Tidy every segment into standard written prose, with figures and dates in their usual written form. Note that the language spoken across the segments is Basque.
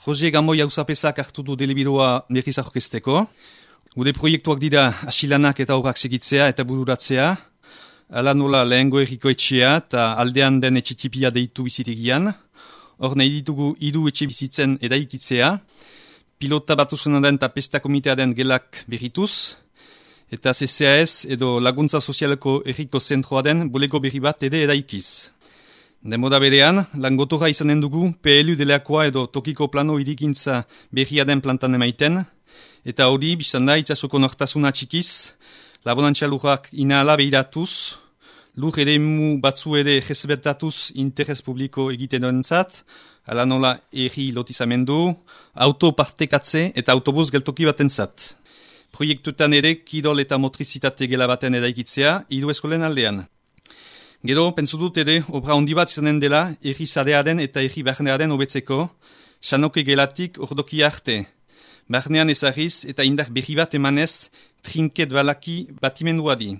Jose Gamoi hauzapezak hartu du delibirua berriz aurkezteko. Gure proiektuak dira asilanak eta obrak segitzea eta bururatzea. Ala nola lehengo erriko etxea eta aldean den etxetipia deitu bizitegian. Hor nahi ditugu hiru etxe bizitzen edaikitzea. Pilota batusunaren eta pesta komitearen gelak berrituz. Eta CCAS edo laguntza sozialeko erriko zentroa den bulego berri bat ere edaikiz. Demoda berean, langotora izanen dugu PLU deleakoa edo tokiko plano irikintza berria den plantan emaiten, eta hori biztan da itxasoko nortasuna txikiz, labonantza lurrak inahala behiratuz, lur eremu batzu ere jezbetatuz interes publiko egiten duentzat, ala nola erri lotizamendu, auto partekatze eta autobus geltoki batentzat. Proiektuetan ere kirol eta motrizitate gela baten edaikitzea, hiru eskolen aldean. Gero, pentsu dut ere, obra handi bat izanen dela, erri zarearen eta erri barnearen hobetzeko, sanoke gelatik ordoki arte. Barnean ezarriz eta indar berri bat emanez, trinket balaki batimenduadi.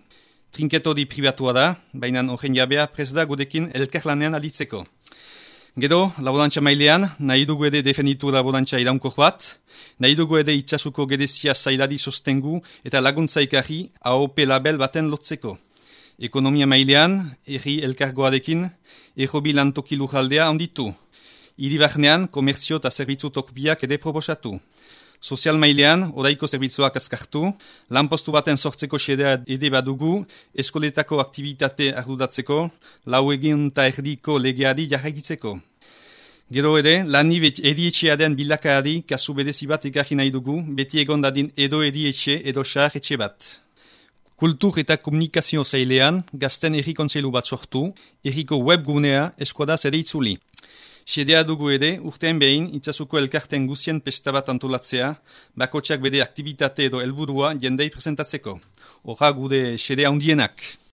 Trinket hori pribatua da, baina horren jabea prest da gudekin elkarlanean alitzeko. Gero, laborantza mailean, nahi dugu ere defenditu laborantza iraunkor bat, nahi dugu ere itxasuko gedezia zailari sostengu eta laguntza ikarri AOP label baten lotzeko. Ekonomia mailean, erri elkargoarekin, errobi lantoki lujaldea onditu. Hiri barnean, komertzio eta zerbitzu tokbiak ere proposatu. Sozial mailean, oraiko zerbitzuak azkartu, lanpostu baten sortzeko xedea ere badugu, eskoletako aktivitate arduratzeko, lau egin eta erdiko legeari jarraikitzeko. Gero ere, lani edietxearen bilakaari kasu bedezi bat ekarri nahi dugu, beti egon dadin edo edietxe edo xar etxe bat. Kultur eta komunikazio zailean, gazten erri kontseilu bat sortu, erriko webgunea eskuadaz ere itzuli. Xedea dugu ere, urtean behin, itxasuko elkarten guzien pesta bat antolatzea, bakotxak bere aktivitate edo helburua jendei presentatzeko. Horra gure xedea hundienak.